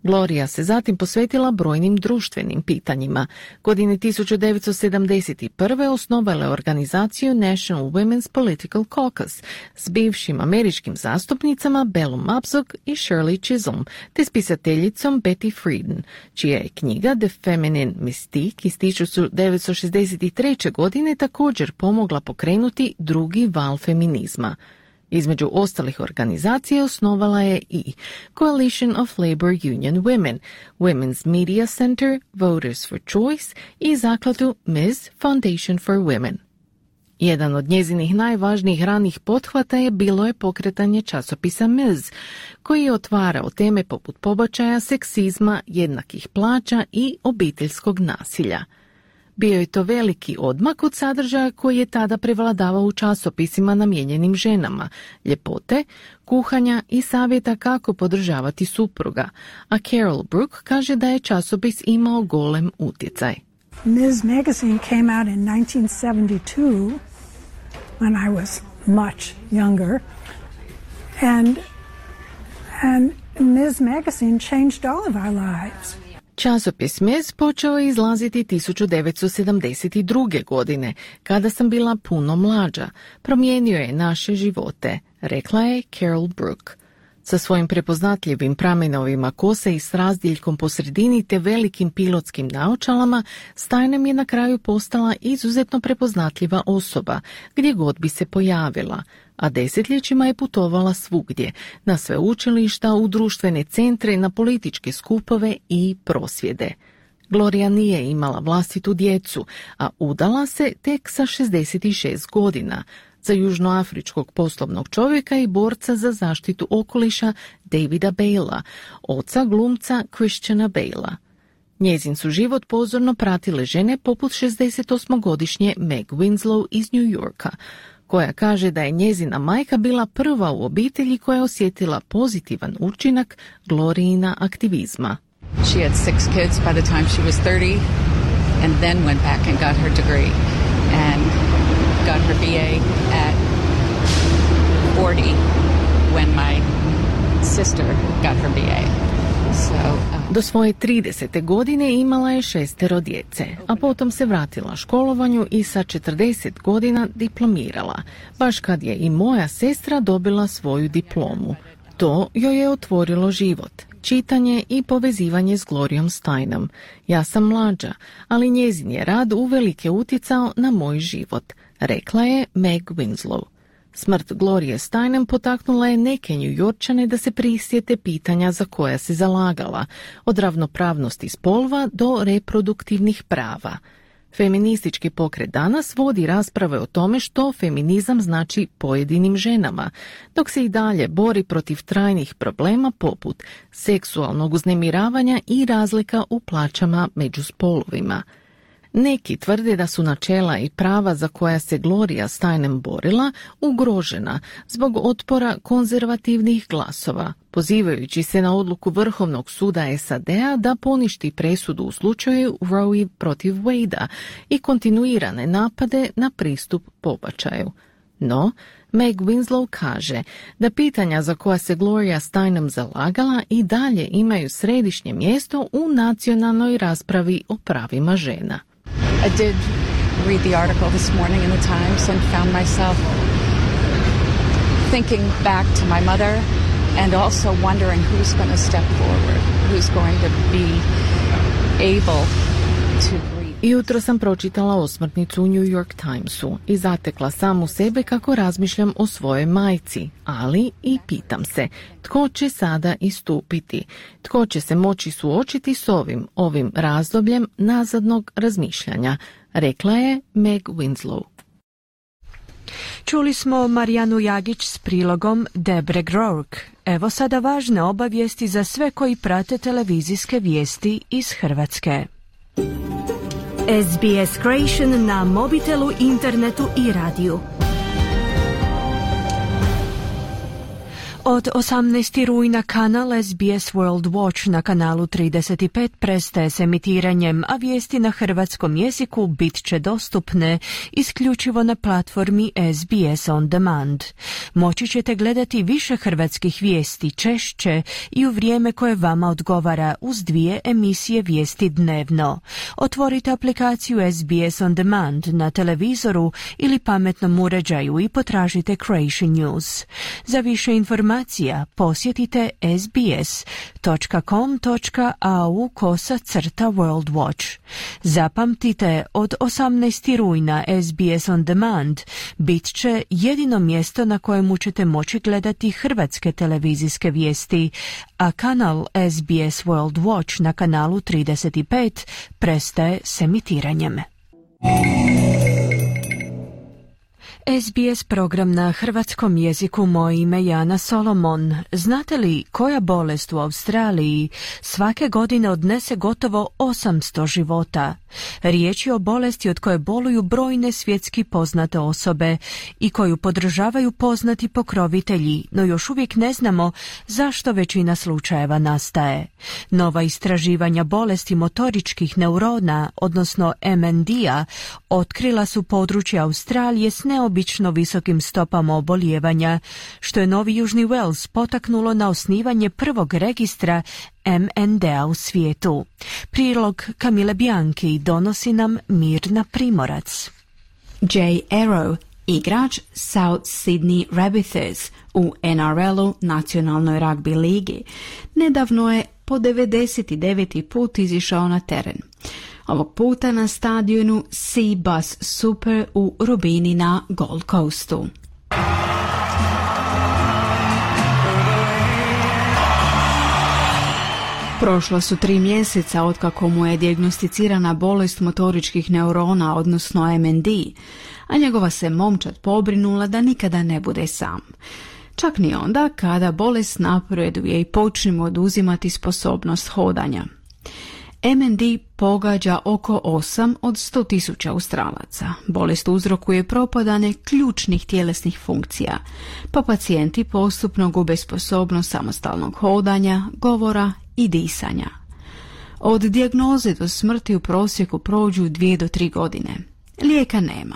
Gloria se zatim posvetila brojnim društvenim pitanjima. Godine tisuću devetsto sedamdeset prve osnovala je organizaciju National Women's Political Caucus s bivšim američkim zastupnicama Bellom Abzug i Shirley Chisholm, te spisateljicom Betty Friedan, čija je knjiga The Feminine Mystique iz tisuću devetsto šezdeset treće. godine također pomogla pokrenuti drugi val feminizma. Između ostalih organizacija osnovala je i Coalition of Labor Union Women, Women's Media Center, Voters for Choice i zakladu Miz Foundation for Women. Jedan od njezinih najvažnijih ranih pothvata je bilo je pokretanje časopisa Miz, koji je otvarao teme poput pobačaja, seksizma, jednakih plaća i obiteljskog nasilja. Bio je to veliki odmak od sadržaja koji je tada prevladavao u časopisima namijenjenim ženama, ljepote, kuhanja i savjeta kako podržavati supruga, a Carol Brooke kaže da je časopis imao golem utjecaj. Miz magazine came out in nineteen seventy-two when I was much younger, and and Miz magazine changed all of our lives. Časopis Miz počeo je izlaziti tisuću devetsto sedamdeset druge. godine, kada sam bila puno mlađa. Promijenio je naše živote, rekla je Carol Brooke. Sa svojim prepoznatljivim pramenovima kose i s razdjeljkom po sredini te velikim pilotskim naočalama, Steinem je na kraju postala izuzetno prepoznatljiva osoba, gdje god bi se pojavila, a desetljećima je putovala svugdje, na sveučilišta, u društvene centre, na političke skupove i prosvjede. Gloria nije imala vlastitu djecu, a udala se tek sa šezdeset šest godina, za južnoafričkog poslovnog čovjeka i borca za zaštitu okoliša Davida Bala, oca glumca Christiana Bala. Njezin su život pozorno pratile žene poput šezdesetosmogodišnje Meg Winslow iz New Yorka, koja kaže da je njezina majka bila prva u obitelji koja je osjetila pozitivan učinak Glorijina aktivizma. She had six kids by the time she was thirty and then went back and got her degree and got her B A at forty when my sister got her B A. So, um... Do svoje tridesete godine imala je šestero djece, a potom se vratila školovanju i sa četrdeset godina diplomirala, baš kad je i moja sestra dobila svoju diplomu. To joj je otvorilo život, čitanje i povezivanje s Glorijom Steinem. Ja sam mlađa, ali njezin je rad uvelike utjecao na moj život, rekla je Meg Winslow. Smrt Glorije Steinem potaknula je neke Njujorčane da se prisjete pitanja za koja se zalagala, od ravnopravnosti spolova do reproduktivnih prava. Feministički pokret danas vodi rasprave o tome što feminizam znači pojedinim ženama, dok se i dalje bori protiv trajnih problema poput seksualnog uznemiravanja i razlika u plaćama među spolovima. Neki tvrde da su načela i prava za koja se Gloria Steinem borila ugrožena zbog otpora konzervativnih glasova, pozivajući se na odluku Vrhovnog suda S A D-a da poništi presudu u slučaju Roe protiv Wade-a i kontinuirane napade na pristup pobačaju. No, Meg Winslow kaže da pitanja za koja se Gloria Steinem zalagala i dalje imaju središnje mjesto u nacionalnoj raspravi o pravima žena. I did read the article this morning in the Times and found myself thinking back to my mother and also wondering who's going to step forward, who's going to be able to breathe. Jutro sam pročitala osmrtnicu u New York Timesu i zatekla samu sebe kako razmišljam o svojoj majci, ali i pitam se tko će sada istupiti, tko će se moći suočiti s ovim, ovim razdobljem nazadnog razmišljanja, rekla je Meg Winslow. Čuli smo Marijanu Jagić s prilogom Debre Grourk. Evo sada važne obavijesti za sve koji prate televizijske vijesti iz Hrvatske. S B S Creation na mobitelu, internetu i radiju. Od osamnaestog rujna kanal S B S World Watch na kanalu trideset pet prestaje s emitiranjem, a vijesti na hrvatskom jeziku bit će dostupne isključivo na platformi S B S On Demand. Moći ćete gledati više hrvatskih vijesti češće i u vrijeme koje vama odgovara uz dvije emisije vijesti dnevno. Otvorite aplikaciju S B S On Demand na televizoru ili pametnom uređaju i potražite Creation News. Za više informacija posjetite sbs.com.au kosa crta World Watch. Zapamtite, od osamnaestog rujna S B S On Demand bit će jedino mjesto na kojemu ćete moći gledati hrvatske televizijske vijesti, a kanal S B S World Watch na kanalu trideset pet prestaje s emitiranjem. S B S program na hrvatskom jeziku. Moje ime je Ana Solomon. Znate li koja bolest u Australiji svake godine odnese gotovo osamsto života? Riječ je o bolesti od koje boluju brojne svjetski poznate osobe i koju podržavaju poznati pokrovitelji, no još uvijek ne znamo zašto većina slučajeva nastaje. Nova istraživanja bolesti motoričkih neurona, odnosno M N D-a, otkrila su područje Australije s neobično visokim stopama obolijevanja, što je Novi Južni Wales potaknulo na osnivanje prvog registra M N D-a u svijetu. Prilog Kamile Bianchi donosi nam Mirna Primorac. Jay Arrow, igrač South Sydney Rabbitohs u N R L-u, nacionalnoj ragbi ligi, nedavno je po devedeset deveti put izišao na teren. Ovog puta na stadionu Sea Bus Super u Robini na Gold Coastu. Prošlo su tri mjeseca otkako mu je dijagnosticirana bolest motoričkih neurona, odnosno M N D, a njegova se momčad pobrinula da nikada ne bude sam. Čak ni onda kada bolest napreduje i počne mu oduzimati sposobnost hodanja. M N D pogađa oko osam od sto tisuća Australaca. Bolest uzrokuje propadanje ključnih tjelesnih funkcija, pa pacijenti postupno gube sposobnost samostalnog hodanja, govora i disanja. Od dijagnoze do smrti u prosjeku prođu dvije do tri godine. Lijeka nema,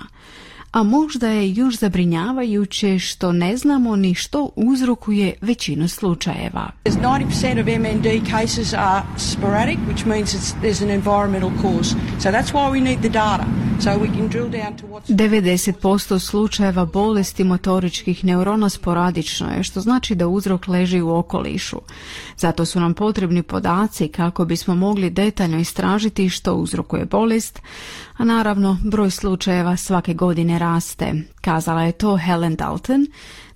a možda je još zabrinjavajuće što ne znamo ni što uzrokuje većinu slučajeva. ninety percent of M N D cases are sporadic, which means it's, there's an environmental cause. So that's why we need the data, so we can drill down to what's... devedeset posto slučajeva bolesti motoričkih neurona sporadično je, što znači da uzrok leži u okolišu. Zato su nam potrebni podaci kako bismo mogli detaljno istražiti što uzrokuje bolest, a naravno broj slučajeva svake godine raste. Kazala je to Helen Dalton,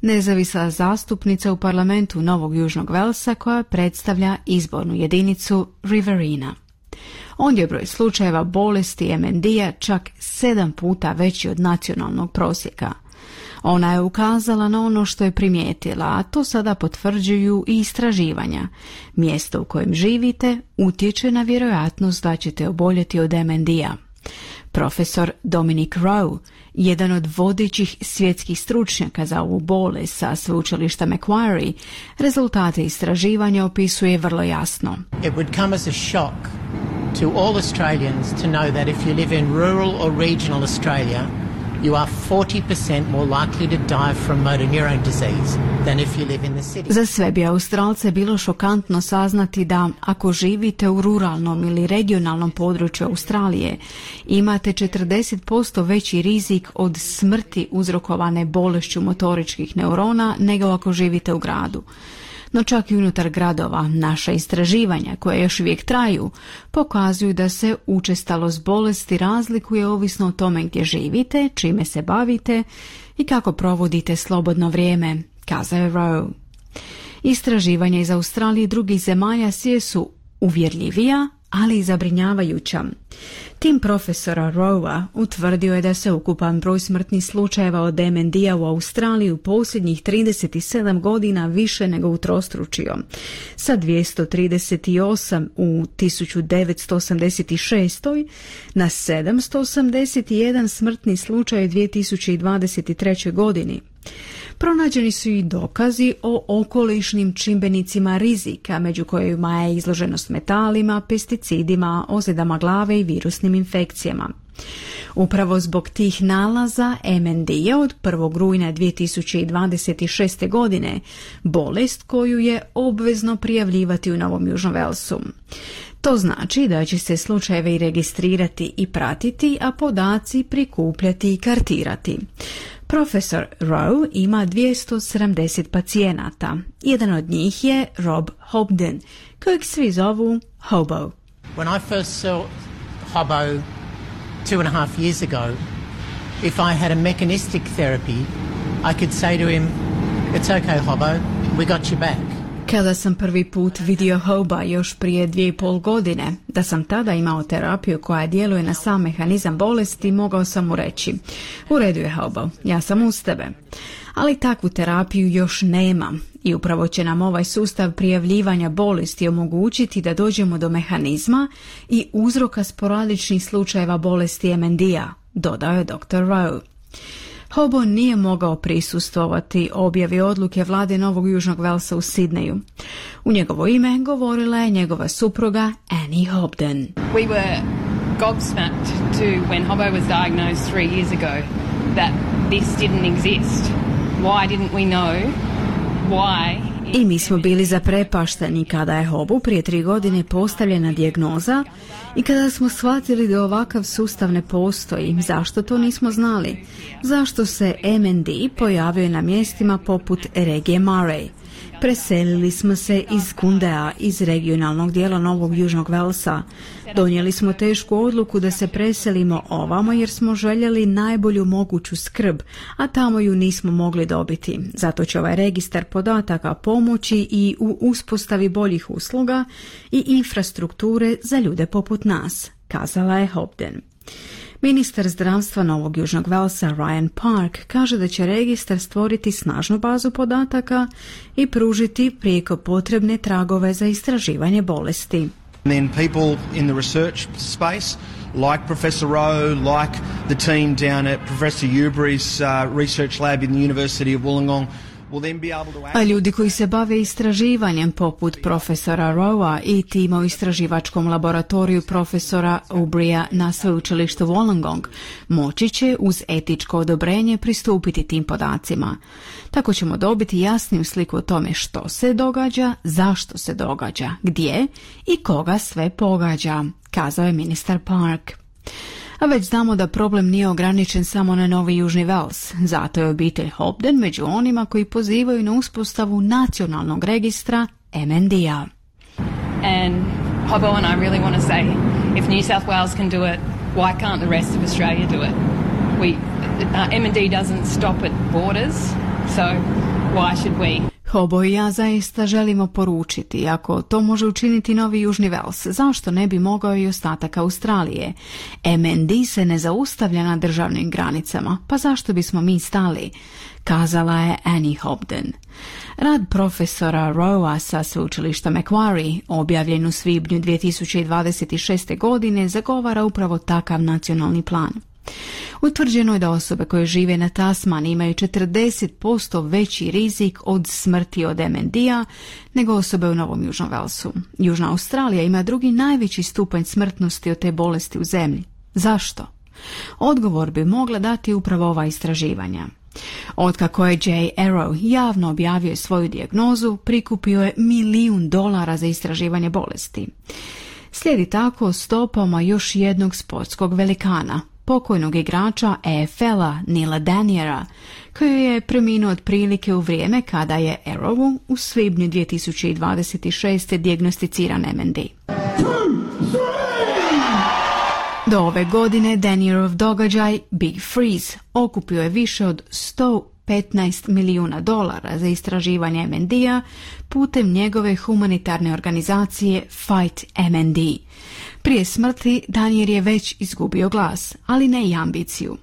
nezavisna zastupnica u parlamentu Novog Južnog Velsa koja predstavlja izbornu jedinicu Riverina. Ondje je broj slučajeva bolesti M N D-a čak sedam puta veći od nacionalnog prosjeka. Ona je ukazala na ono što je primijetila, a to sada potvrđuju i istraživanja. Mjesto u kojem živite utječe na vjerojatnost da ćete oboljeti od M N D-a. Profesor Dominic Rowe, jedan od vodećih svjetskih stručnjaka za ovu bolest sa sveučilišta Macquarie, rezultate istraživanja opisuje vrlo jasno. It would come as a shock to all Australians to know that if you live in rural or regional Australia, you are forty percent more likely to die from motor neurone disease than if you live in the city. Za sve bi Australce bilo šokantno saznati da ako živite u ruralnom ili regionalnom području Australije, imate četrdeset posto veći rizik od smrti uzrokovane bolešću motoričkih neurona nego ako živite u gradu. No čak i unutar gradova naša istraživanja, koje još uvijek traju, pokazuju da se učestalost bolesti razlikuje ovisno o tome gdje živite, čime se bavite i kako provodite slobodno vrijeme, kazao je Rowe. Istraživanja iz Australije i drugih zemalja sve su uvjerljivija, ali i zabrinjavajuća. Tim profesora Rowa utvrdio je da se ukupan broj smrtnih slučajeva od M N D-a u Australiji u posljednjih trideset sedam godina više nego utrostručio. Sa dvjesto trideset osam u tisuću devetsto osamdeset šest. na sedamsto osamdeset jedan smrtni slučaj u dvije tisuće dvadeset trećoj. godini. Pronađeni su i dokazi o okolišnim čimbenicima rizika, među kojima je izloženost metalima, pesticidima, ozljedama glave i virusnim infekcijama. Upravo zbog tih nalaza M N D je od prvog rujna dvije tisuće dvadeset šeste. godine bolest koju je obvezno prijavljivati u Novom Južnom Velsu. To znači da će se slučajevi registrirati i pratiti, a podaci prikupljati i kartirati. Profesor Rowe ima dvjesto sedamdeset pacijenata. Jedan od njih je Rob Hobden, kojeg svi zovu Hobo. When I first saw Hobo two and a half years ago, if I had a mechanistic therapy, I could say to him, "It's okay, Hobo, we got you back." Kada sam prvi put vidio Hoba još prije dvije i pol godine, da sam tada imao terapiju koja djeluje na sam mehanizam bolesti, mogao sam mu reći: u redu je, Hobo, ja sam uz tebe. Ali takvu terapiju još nema i upravo će nam ovaj sustav prijavljivanja bolesti omogućiti da dođemo do mehanizma i uzroka sporadičnih slučajeva bolesti M N D-a, dodao je doktor Rowe. Hobo nije mogao prisustvovati objavi odluke vlade Novog Južnog Velsa u Sidneju. U njegovo ime govorila je njegova supruga Annie Hobden. We were gobsmacked to when Hobo was diagnosed three years ago that this didn't exist. Why didn't we know why? I mi smo bili zaprepašteni kada je Hobu prije tri godine postavljena dijagnoza i kada smo shvatili da ovakav sustav ne postoji. Zašto to nismo znali? Zašto se M N D pojavio na mjestima poput regije Murray? Preselili smo se iz Kundea, iz regionalnog dijela Novog Južnog Velsa. Donijeli smo tešku odluku da se preselimo ovamo jer smo željeli najbolju moguću skrb, a tamo ju nismo mogli dobiti. Zato će ovaj registar podataka pomoći i u uspostavi boljih usluga i infrastrukture za ljude poput nas, kazala je Hobden. Ministar zdravstva Novog Južnog Velsa Ryan Park kaže da će registar stvoriti snažnu bazu podataka i pružiti prijeko potrebne tragove za istraživanje bolesti. And then people in the research space, like Professor Rowe, like the team down at Professor Ubery's uh, research lab in the University of Wollongong, a ljudi koji se bave istraživanjem poput profesora Rowa i tima u istraživačkom laboratoriju profesora Ubrya na sveučilištu Wollongong moći će uz etičko odobrenje pristupiti tim podacima. Tako ćemo dobiti jasniju sliku o tome što se događa, zašto se događa, gdje i koga sve pogađa, kazao je ministar Park. A već znamo da problem nije ograničen samo na Novi Južni Vels, zato je obitelj Hobden među onima koji pozivaju na uspostavu nacionalnog registra M N D-a. And Hobo and I really want to say, if New South Wales can do it, why can't the rest of Australia do it? We, uh, M N D doesn't stop at borders, so why should we? Hobo i ja zaista želimo poručiti, ako to može učiniti Novi Južni Vels, zašto ne bi mogao i ostatak Australije? M N D se ne zaustavlja na državnim granicama, pa zašto bismo mi stali? Kazala je Annie Hobden. Rad profesora Rowa sa sveučilišta Macquarie, objavljen u svibnju dvije tisuće dvadeset šeste. godine, zagovara upravo takav nacionalni plan. Utvrđeno je da osobe koje žive na Tasmani imaju četrdeset posto veći rizik od smrti od M N D-a nego osobe u Novom Južnom Velsu. Južna Australija ima drugi najveći stupanj smrtnosti od te bolesti u zemlji. Zašto? Odgovor bi mogla dati upravo ova istraživanja. Otkako je Jay Arrow javno objavio svoju dijagnozu, prikupio je milijun dolara za istraživanje bolesti. Slijedi tako stopama još jednog sportskog velikana, pokojnog igrača E F L-a Neila Daniera, koji je preminuo otprilike u vrijeme kada je Arrowu u svibnju dvije tisuće dvadeset šeste. dijagnosticiran M N D. Do ove godine Danierov događaj Big Freeze okupio je više od sto petnaest milijuna dolara za istraživanje M N D-a putem njegove humanitarne organizacije Fight M N D. Prije smrti Daniel je već izgubio glas, ali ne i ambiciju.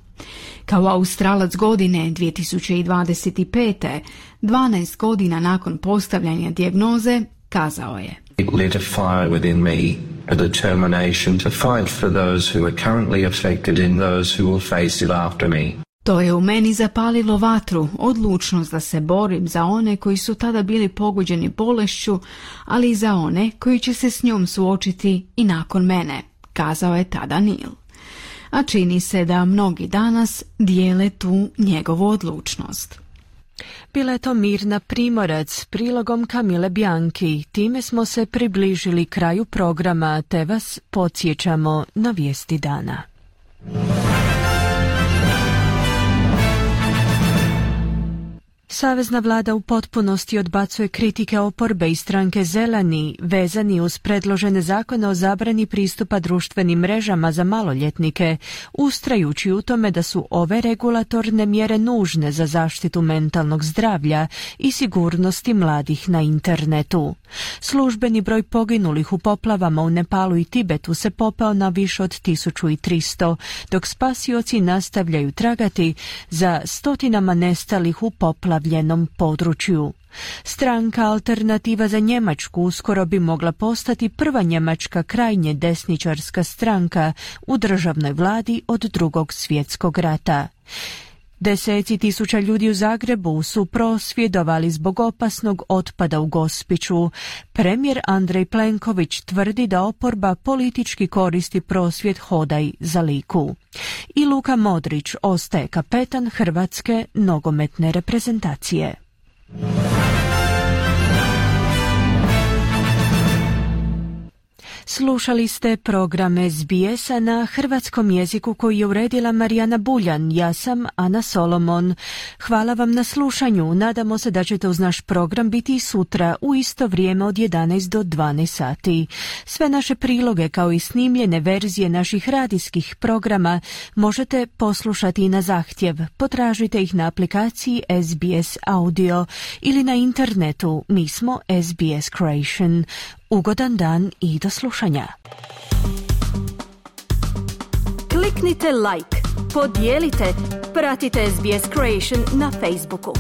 Kao Australac godine dvije tisuće dvadeset pete, dvanaest godina nakon postavljanja dijagnoze, kazao je: It lit a fire within me, a determination to fight for those who are currently afflicted and those who will face it after me. To je u meni zapalilo vatru, odlučnost da se borim za one koji su tada bili pogođeni bolešću, ali i za one koji će se s njom suočiti i nakon mene, kazao je tada Neil. A čini se da mnogi danas dijele tu njegovu odlučnost. Bila je to Mirna Primorac, prilogom Kamile Bianchi. Time smo se približili kraju programa, te vas podsjećamo na vijesti dana. Savezna vlada u potpunosti odbacuje kritike oporbe i stranke Zeleni vezani uz predložene zakone o zabrani pristupa društvenim mrežama za maloljetnike, ustrajući u tome da su ove regulatorne mjere nužne za zaštitu mentalnog zdravlja i sigurnosti mladih na internetu. Službeni broj poginulih u poplavama u Nepalu i Tibetu se popeo na više od tisuću tristo, dok spasioci nastavljaju tragati za stotinama nestalih u poplavljenom području. Stranka Alternativa za Njemačku uskoro bi mogla postati prva njemačka krajnje desničarska stranka u državnoj vladi od Drugog svjetskog rata. Deseci tisuća ljudi u Zagrebu su prosvjedovali zbog opasnog otpada u Gospiću. Premijer Andrej Plenković tvrdi da oporba politički koristi prosvjed Hodaj za Liku. I Luka Modrić ostaje kapetan hrvatske nogometne reprezentacije. Slušali ste program S B S-a na hrvatskom jeziku koji je uredila Marijana Buljan. Ja sam Ana Solomon. Hvala vam na slušanju. Nadamo se da ćete uz naš program biti i sutra u isto vrijeme od jedanaest do dvanaest sati. Sve naše priloge kao i snimljene verzije naših radijskih programa možete poslušati i na zahtjev. Potražite ih na aplikaciji S B S Audio ili na internetu. Mi smo S B S Creation. Ugodan dan i do slušanja. Kliknite like, podijelite, pratite S B S Creation na Facebooku.